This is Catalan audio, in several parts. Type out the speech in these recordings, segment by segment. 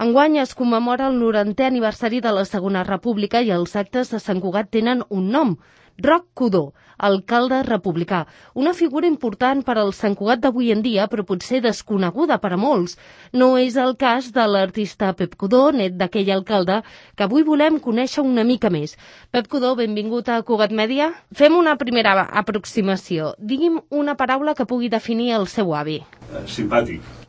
Enguany es commemora el 90è aniversari de la Segona República i els actes de Sant Cugat tenen un nom, Roc Codó, alcalde republicà. Una figura important per al Sant Cugat d'avui en dia, però potser desconeguda per a molts. No és el cas de l'artista Pep Codó, net d'aquell alcalde, que avui volem conèixer una mica més. Pep Codó, benvingut a Cugat Mèdia. Fem una primera aproximació. Digui'm una paraula que pugui definir el seu avi. Simpàtic.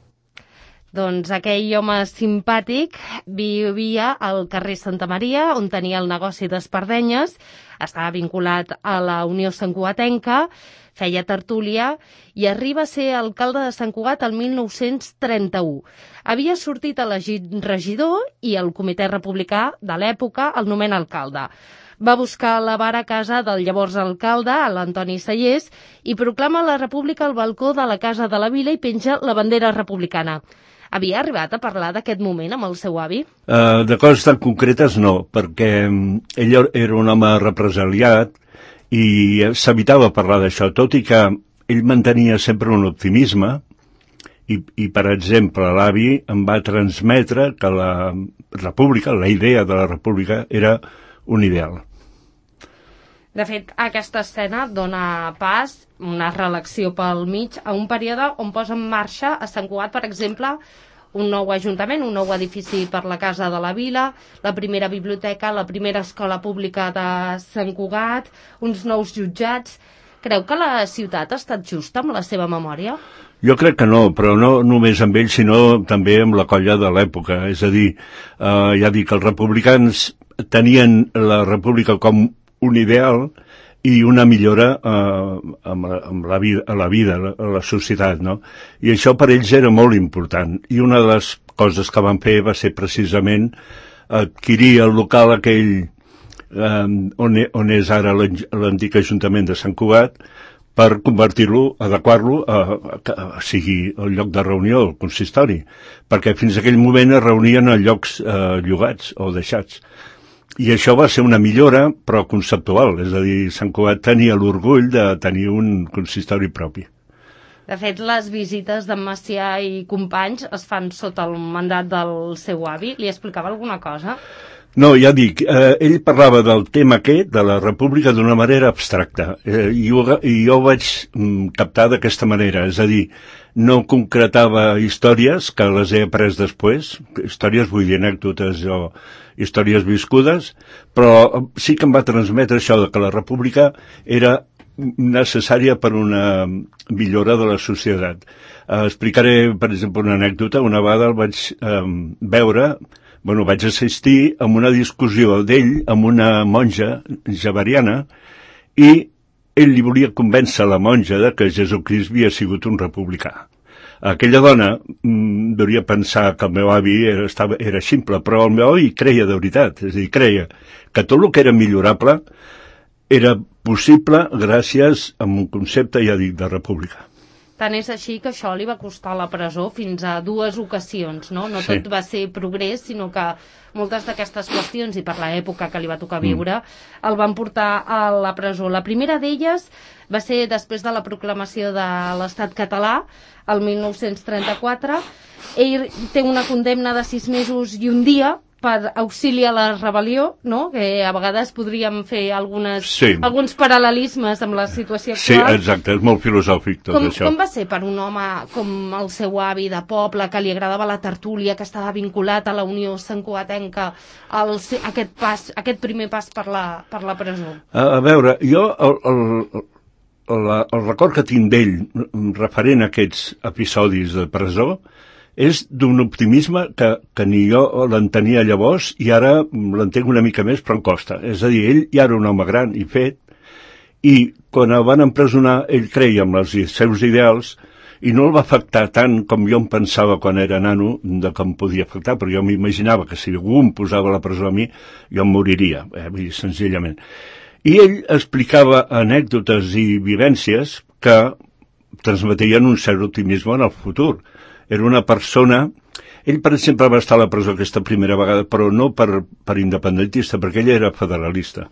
Doncs aquell home simpàtic vivia al carrer Santa Maria, on tenia el negoci d'espardenyes, estava vinculat a la Unió Santcugatenca, feia tertúlia i arriba a ser alcalde de Sant Cugat el 1931. Havia sortit elegit regidor i el comitè republicà de l'època el nomena alcalde. Va buscar la vara a casa del llavors alcalde, l'Antoni Sallés, i proclama la república al balcó de la Casa de la Vila i penja la bandera republicana. Havia arribat a parlar d'aquest moment amb el seu avi? De coses tan concretes no, perquè ell era un home represaliat i s'evitava parlar d'això, tot i que ell mantenia sempre un optimisme i per exemple, l'avi em va transmetre que la república, la idea de la república, era un ideal. De fet, aquesta escena dona pas, una reelecció pel mig, a un període on posa en marxa a Sant Cugat, per exemple, un nou ajuntament, un nou edifici per la Casa de la Vila, la primera biblioteca, la primera escola pública de Sant Cugat, uns nous jutjats. Creu que la ciutat ha estat justa amb la seva memòria? Jo crec que no, però no només amb ell, sinó també amb la colla de l'època. És a dir, ja dic, els republicans tenien la república com un ideal i una millora amb la vida, a la societat, no? I això per ells era molt important. I una de les coses que van fer va ser precisament adquirir el local aquell on és ara l'antic Ajuntament de Sant Cugat per convertir-lo, adequar-lo a sigui el lloc de reunió, el consistori, perquè fins aquell moment es reunien a llocs llogats o deixats. I això va ser una millora, però conceptual, és a dir, Sant Cugat tenia l'orgull de tenir un consistori propi. De fet, les visites d'en Macià i companys es fan sota el mandat del seu avi. Li explicava alguna cosa? No, ja dic, ell parlava del tema aquest, de la república, d'una manera abstracta, i jo ho vaig captar d'aquesta manera, és a dir, no concretava històries que les he après després, històries vull dir anècdotes o històries viscudes, però sí que em va transmetre això de que la república era necessària per una millora de la societat. Explicaré, per exemple, una anècdota. Una vegada el vaig vaig assistir a una discussió d'ell amb una monja javeriana i ell li volia convèncer la monja de que Jesucrist havia sigut un republicà. Aquella dona devia pensar que el meu avi era ximple, però el meu avi creia de veritat, és a dir, creia que tot el que era millorable era possible gràcies a un concepte, ja dic, de república. Tant és així que això li va costar la presó fins a 2 ocasions, no? No tot va ser progrés, sinó que moltes d'aquestes qüestions, i per l'època que li va tocar viure, el van portar a la presó. La primera d'elles va ser després de la proclamació de l'Estat català, el 1934. Ell té una condemna de 6 mesos i un dia per auxili a la rebel·lió, no? Que a vegades podríem fer alguns paral·lelismes amb la situació actual. Sí, exacte, és molt filosòfic tot això. Com va ser per un home com el seu avi de poble, que li agradava la tertúlia, que estava vinculat a la Unió Santcugatenca, aquest primer pas per la presó? A veure, jo el record que tinc d'ell referent a aquests episodis de presó és d'un optimisme que ni jo l'entenia llavors i ara l'entenc una mica més, però em costa. És a dir, ell ja era un home gran i fet, i quan el van empresonar ell creia en els seus ideals i no el va afectar tant com jo em pensava quan era nano de com podia afectar, però jo m'imaginava que si algú em posava a la presó a mi, jo em moriria, senzillament. I ell explicava anècdotes i vivències que transmetien un cert optimisme en el futur. Era una persona... Ell, per exemple, va estar a la presó aquesta primera vegada, però no per independentista, perquè ell era federalista.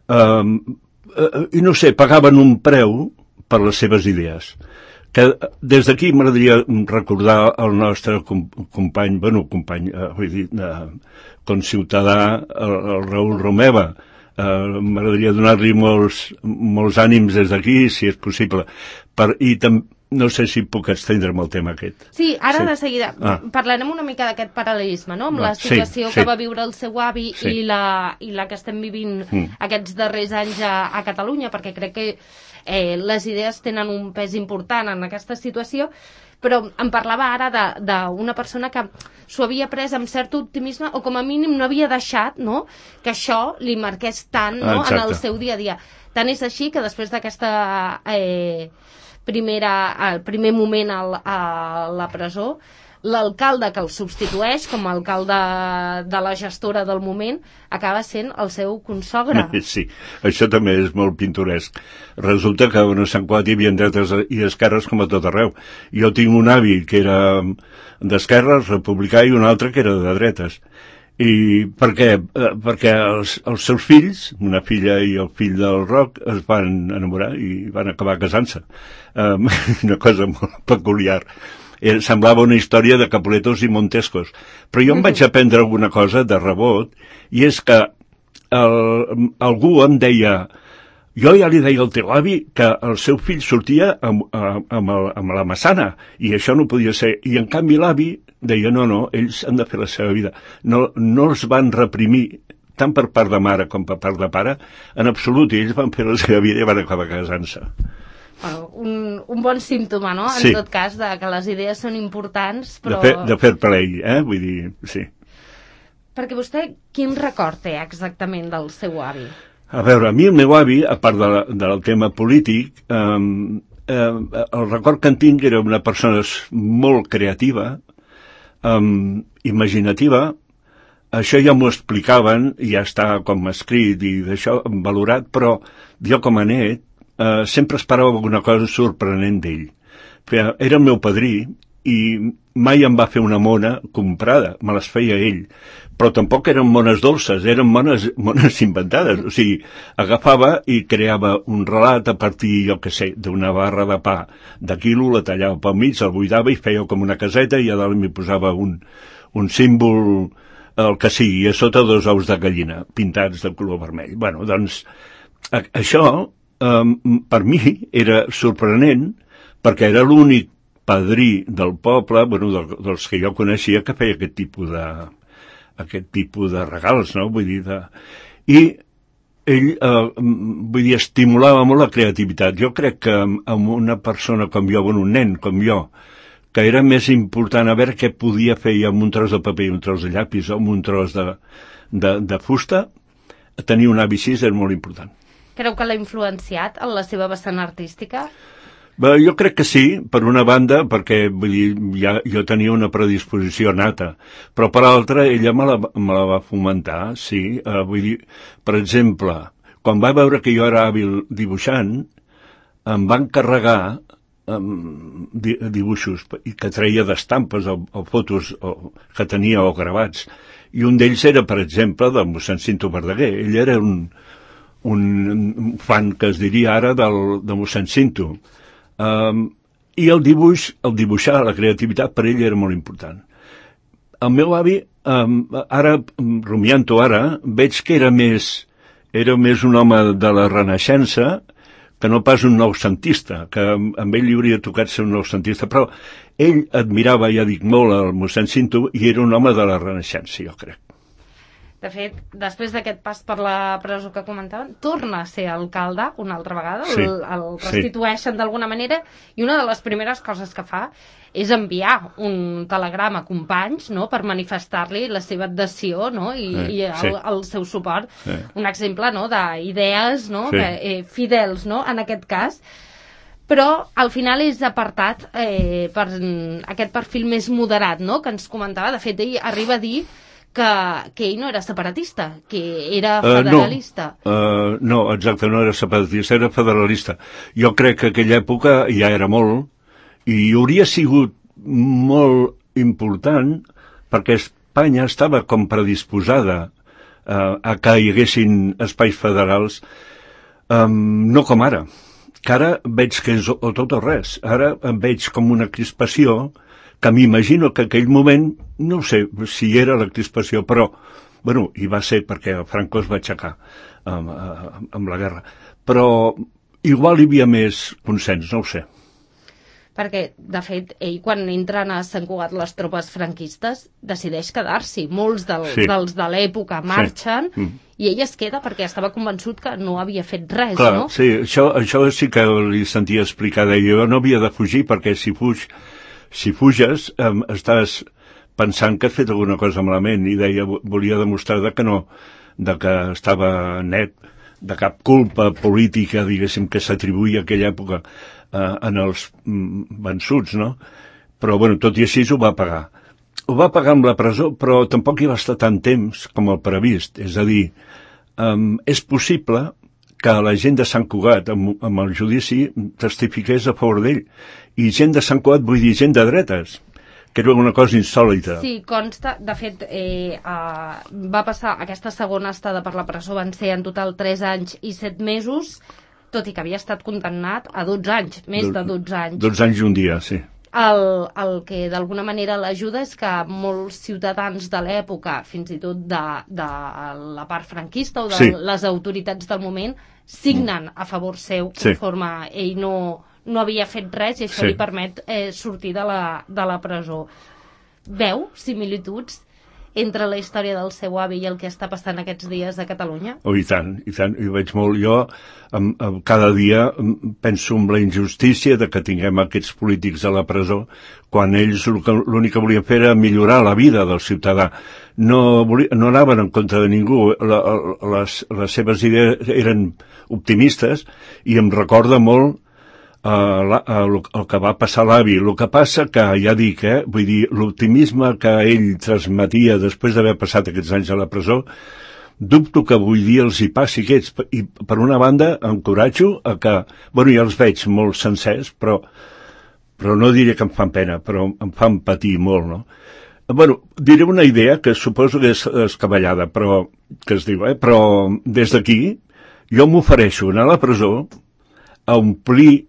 I no sé, pagaven un preu per les seves idees. que des d'aquí m'agradaria recordar el nostre company, vull dir, conciutadà, el Raül Romeva. M'agradaria donar-li molts ànims des d'aquí, si és possible. I també no sé si puc estendre'm el tema aquest. Sí, ara de seguida parlarem una mica d'aquest paral·lelisme, no?, amb la situació que va viure el seu avi i la que estem vivint aquests darrers anys a Catalunya, perquè crec que les idees tenen un pes important en aquesta situació, però em parlava ara d'una persona que s'ho havia pres amb cert optimisme o com a mínim no havia deixat, no?, que això li marqués tant, no?, en el seu dia a dia. Tant és així que després d'aquesta el primer moment a la presó, l'alcalde que el substitueix com a alcalde de la gestora del moment acaba sent el seu consogre. Sí, això també és molt pintoresc. Resulta que a Sant Cugat hi havia dretes i esquerres com a tot arreu. Jo tinc un avi que era d'esquerres, republicà, i un altre que era de dretes. I per què? Perquè els seus fills, una filla i el fill del Roc, es van enamorar i van acabar casant-se. Una cosa molt peculiar. Semblava una història de Capuletos i Montescos. Però jo em vaig aprendre alguna cosa de rebot, i és que algú em deia, jo ja li deia al teu avi que el seu fill sortia amb la Massana, i això no podia ser. I en canvi l'avi deia, no, ells han de fer la seva vida. No els van reprimir, tant per part de mare com per part de pare, en absolut, i ells van fer la seva vida i van acabar casant-se. Bueno, un bon símptoma, no?, en tot cas, que les idees són importants, però... De fer play, vull dir, sí. Perquè vostè, quin record té exactament del seu avi? A veure, a mi el meu avi, a part del tema polític, el record que en tinc era una persona molt creativa, imaginativa. Això ja m'ho explicaven, ja està com escrit i d'això valorat, però jo com a net sempre esperava alguna cosa sorprenent d'ell. Era el meu padrí i mai em va fer una mona comprada, me les feia ell, però tampoc eren mones dolces, eren mones inventades. O sigui, agafava i creava un relat a partir, jo què sé, d'una barra de pa de quilo, la tallava pel mig, el buidava i feia com una caseta, i a dalt m'hi posava un símbol, el que sigui, a sota 2 ous de gallina pintats de color vermell. Bueno, doncs, això per mi era sorprenent, perquè era l'únic padrí del poble, dels que jo coneixia, que feia aquest tipus de regals, no? Vull dir, i ell, estimulava molt la creativitat. Jo crec que amb una persona com jo, un nen com jo, que era més important a veure què podia fer amb un tros de paper i un tros de llapis o amb un tros de fusta, tenir un avi així és molt important. Creu que l'ha influenciat en la seva vessant artística? Bé, jo crec que sí, per una banda, perquè vull dir, jo tenia una predisposició nata, però per l'altra ella me la va fomentar, sí. Vull dir, per exemple, quan va veure que jo era hàbil dibuixant, em va encarregar dibuixos que treia d'estampes o fotos que tenia o gravats, i un d'ells era, per exemple, del mossèn Cinto Verdaguer. Ell era un fan, que es diria ara, de mossèn Cinto. I el dibuixar, la creativitat, per ell era molt important. El meu avi, ara, rumiant-ho ara, veig que era més un home de la Renaixença que no pas un noucentista, que amb ell li hauria tocat ser un noucentista, però ell admirava, ja dic, molt el mossèn Cinto, i era un home de la Renaixença, jo crec. De fet, després d'aquest pas per la presó que comentaven, torna a ser alcalde una altra vegada, el restitueixen d'alguna manera, i una de les primeres coses que fa és enviar un telegrama a companys, no?, per manifestar-li la seva adhesió, no?, i el seu suport. Un exemple, no?, d'idees, no?, fidels, no?, en aquest cas. Però al final és apartat per aquest perfil més moderat, no?, que ens comentava. De fet, ell arriba a dir que ell no era separatista, que era federalista. No, exacte, no era separatista, era federalista. Jo crec que aquella època ja era molt, i hauria sigut molt important, perquè Espanya estava com predisposada a que hi haguessin espais federals, no com ara, que ara veig que és o tot o res. Ara em veig com una crispació que m'imagino que aquell moment, no sé si era la crispació, però, bueno, hi va ser perquè Franco es va aixecar amb la guerra. Però igual hi havia més consens, no ho sé. Perquè, de fet, ell, quan entren a Sant Cugat les tropes franquistes, decideix quedar-s'hi. Molts dels de l'època marxen i ell es queda perquè estava convençut que no havia fet res, clar, no? Sí, això sí que li sentia explicar. Jo no havia de fugir perquè si fuges estàs pensant que has fet alguna cosa malament, i deia, volia demostrar que no, que estava net de cap culpa política, diguéssim, que s'atribuïa a aquella època en els vençuts, no? Però, bueno, tot i així ho va pagar. Ho va pagar amb la presó, però tampoc hi va estar tant temps com el previst. És a dir, és possible que la gent de Sant Cugat, amb el judici, testifiqués a favor d'ell. I gent de Sant Cugat, vull dir, gent de dretes, que era una cosa insòlita. Sí, consta, de fet, va passar aquesta segona estada per la presó, van ser en total 3 anys i 7 mesos, tot i que havia estat condemnat a 12 anys, més de 12 anys. 12 anys i un dia, sí. El que d'alguna manera l'ajuda és que molts ciutadans de l'època, fins i tot de la part franquista o de les autoritats del moment, signen a favor seu conforme ell no havia fet res i això li permet sortir de la presó. Veu similituds entre la història del seu avi i el que està passant aquests dies a Catalunya? Oh, i tant, hi veig molt. Jo cada dia penso en la injustícia de que tinguem aquests polítics a la presó quan ells l'únic que volien fer era millorar la vida del ciutadà. No anaven en contra de ningú. Les seves idees eren optimistes i em recorda molt el que va passar a l'avi. El que passa que, ja dic, vull dir, l'optimisme que ell transmetia després d'haver passat aquests anys a la presó, dubto que avui dia els hi passi aquests. I, per una banda, encoratjo a que, bueno, ja els veig molt sencers, però no diré que em fan pena, però em fan patir molt, no? Bueno, diré una idea que suposo que és escabellada, però que es diu, però des d'aquí jo m'ofereixo anar a la presó a omplir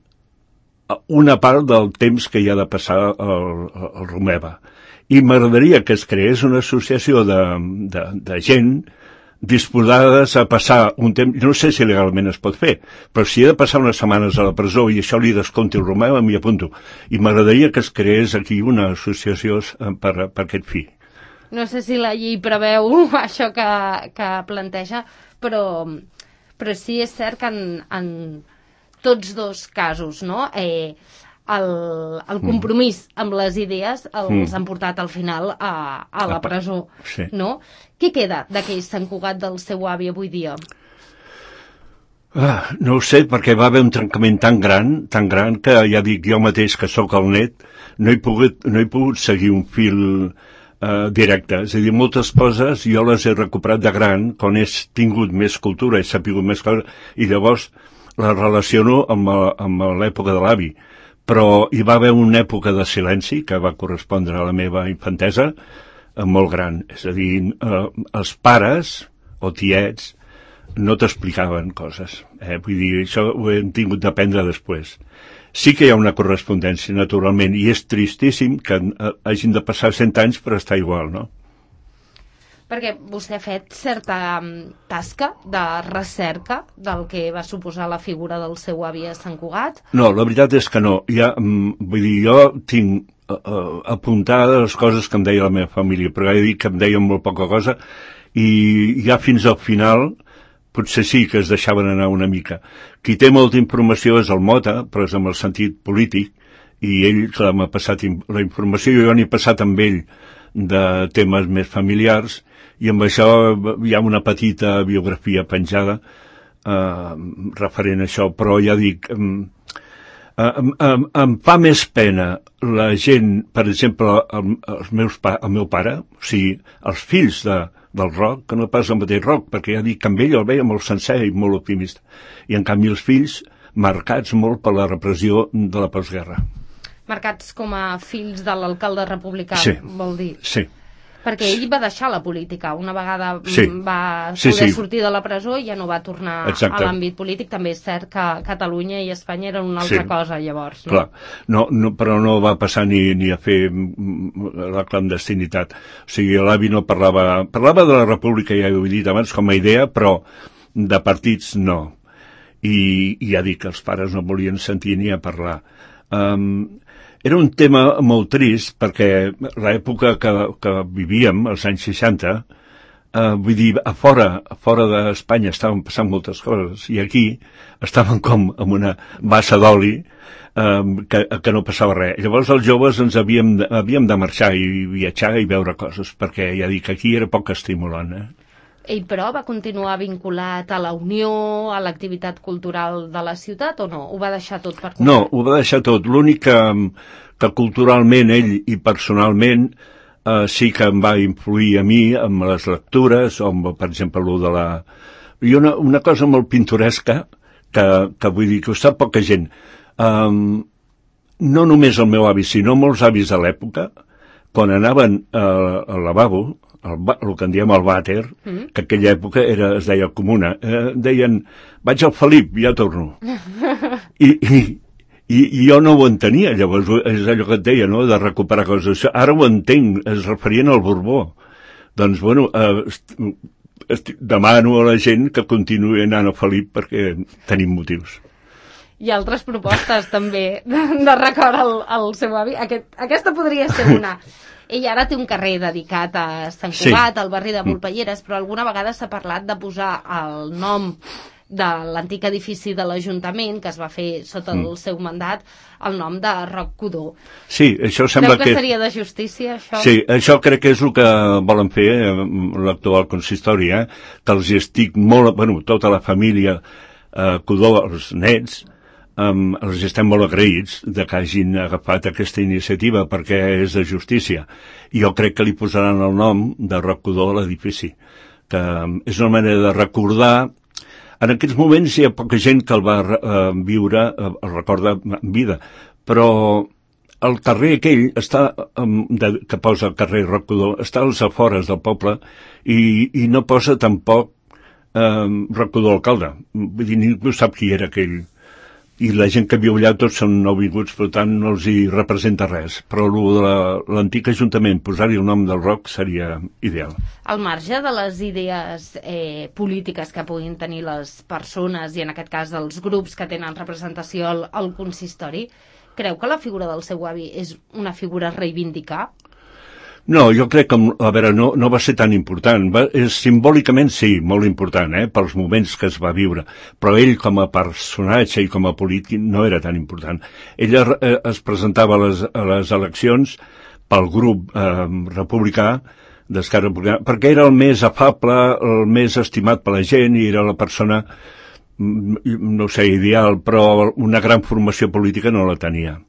una part del temps que hi ha de passar al Romeva. I m'agradaria que es creés una associació de gent disposades a passar un temps, no sé si legalment es pot fer, però si he de passar unes setmanes a la presó i això li descompti el Romeva, m'hi apunto. I m'agradaria que es creés aquí una associació per aquest fi. No sé si la llei preveu això que planteja, però sí és cert que en tots dos casos, no? El compromís amb les idees els han portat al final a la presó, no? Què queda d'aquell Sant Cugat del seu avi avui dia? No ho sé, perquè va haver un trencament tan gran que ja dic jo mateix que sóc el net, no he pogut seguir un fil directe. És a dir, moltes coses jo les he recuperat de gran, quan he tingut més cultura, he sapigut més coses, i llavors la relaciono amb l'època de l'avi. Però hi va haver una època de silenci que va correspondre a la meva infantesa molt gran. És a dir, els pares o tiets no t'explicaven coses. Vull dir, això ho hem tingut d'aprendre després. Sí que hi ha una correspondència, naturalment, i és tristíssim que hagin de passar 100 anys per estar igual, no? Perquè vostè ha fet certa tasca de recerca del que va suposar la figura del seu avi a Sant Cugat? No, la veritat és que no. Vull dir, jo tinc apuntades les coses que em deia la meva família, però ja he dit que em deien molt poca cosa, i ja fins al final potser sí que es deixaven anar una mica. Qui té molta informació és el Mota, però és amb el sentit polític, i ell, clar, m'ha passat la informació, jo n'he passat amb ell de temes més familiars, i amb això hi ha una petita biografia penjada referent a això, però ja dic, em fa més pena la gent, per exemple, el meu pare, o sigui, els fills del rock, que no pas el mateix rock, perquè ja dic que amb ell el veia molt sencer i molt optimista, i en canvi els fills marcats molt per la repressió de la postguerra. Marcats com a fills de l'alcalde republicà, vol dir? Sí. Perquè ell va deixar la política. Una vegada va Sí, poder sí. sortir de la presó i ja no va tornar Exacte. a l'àmbit polític. També és cert que Catalunya i Espanya eren una altra cosa, llavors. No? Clar, però no va passar ni a fer la clandestinitat. O sigui, l'avi no parlava de la república, ja ho he dit abans, com a idea, però de partits no. I ja dic que els pares no volien sentir ni a parlar. Era un tema molt trist perquè l'època que vivíem, els anys 60, vull dir, a fora d'Espanya estaven passant moltes coses i aquí estaven com amb una bassa d'oli que no passava res. Llavors els joves ens havíem de marxar i viatjar i veure coses, perquè ja dic, aquí era poc estimulant, Ell, però, va continuar vinculat a la Unió, a l'activitat cultural de la ciutat, o no? Ho va deixar tot per compte? No, ho va deixar tot. L'únic que culturalment ell i personalment sí que em va influir a mi amb les lectures, o amb, per exemple, de la... I una cosa molt pintoresca, que vull dir que ho sap poca gent. No només el meu avi, sinó molts avis de l'època, quan anaven al lavabo, el que en diem el vàter, que aquella època es deia comuna, deien, vaig al Felip, ja torno. I jo no ho entenia, llavors és allò que et deia, no?, de recuperar coses. Ara ho entenc, es referien al Borbó. Doncs, bueno, demano a la gent que continuï anant al Felip perquè tenim motius. Hi ha altres propostes, també, de record al seu avi. Aquesta podria ser una. Ell ara té un carrer dedicat a Sant Cugat, al barri de Volpelleres, però alguna vegada s'ha parlat de posar el nom de l'antic edifici de l'Ajuntament, que es va fer sota el seu mandat, el nom de Roc Codó. Sí, això sembla que seria de justícia, això? Sí, això crec que és el que volen fer l'actual consistori, que els estic molt... Bueno, tota la família Codó, els nets, els estem molt agraïts de que hagin agafat aquesta iniciativa perquè és de justícia. I jo crec que li posaran el nom de Roc Codó a l'edifici, que és una manera de recordar. En aquests moments hi ha poca gent que el va viure, el recorda en vida, però el carrer aquell que posa el carrer Roc Codó està als afores del poble i no posa tampoc Roc Codó alcalde. Vull dir, ningú sap qui era aquell. I la gent que viu allà tots són nouvinguts, per tant no els hi representa res. Però l'antic ajuntament, posar-hi el nom del Roc seria ideal. Al marge de les idees polítiques que puguin tenir les persones, i en aquest cas els grups que tenen representació al consistori, creu que la figura del seu avi és una figura a reivindicar? No, jo crec que, a veure, no va ser tan important. Simbòlicament sí, molt important, pels moments que es va viure. Però ell, com a personatge i com a polític, no era tan important. Ell es presentava a les eleccions pel grup republicà, d'Esquerra Republicana, perquè era el més afable, el més estimat per la gent, i era la persona, no sé, ideal, però una gran formació política no la tenia.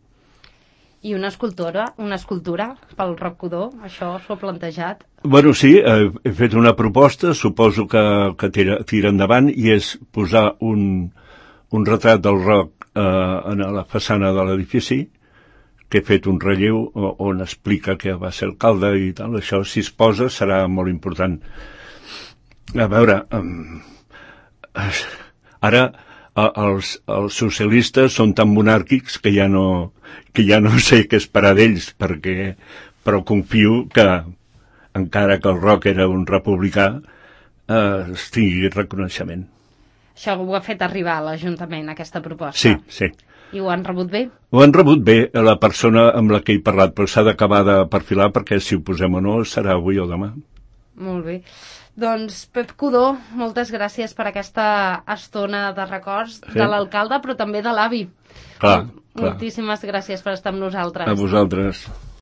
I una escultura pel Roc Codó, això s'ho ha plantejat? Bueno, sí, he fet una proposta, suposo que tira endavant, i és posar un retrat del Roc a la façana de l'edifici, que he fet un relleu on explica que va ser alcalde i tal. Això, si es posa, serà molt important. A veure, ara els socialistes són tan monàrquics que ja no sé què esperar d'ells, però confio que, encara que el Roc era un republicà, es tingui reconeixement. Això ho ha fet arribar a l'Ajuntament, aquesta proposta? Sí, sí. I ho han rebut bé? Ho han rebut bé, la persona amb la que he parlat, però s'ha d'acabar de perfilar, perquè si ho posem o no serà avui o demà. Molt bé. Doncs, Pep Codó, moltes gràcies per aquesta estona de records de l'alcalde, però també de l'avi. Clar. Moltíssimes gràcies per estar amb nosaltres. A vosaltres.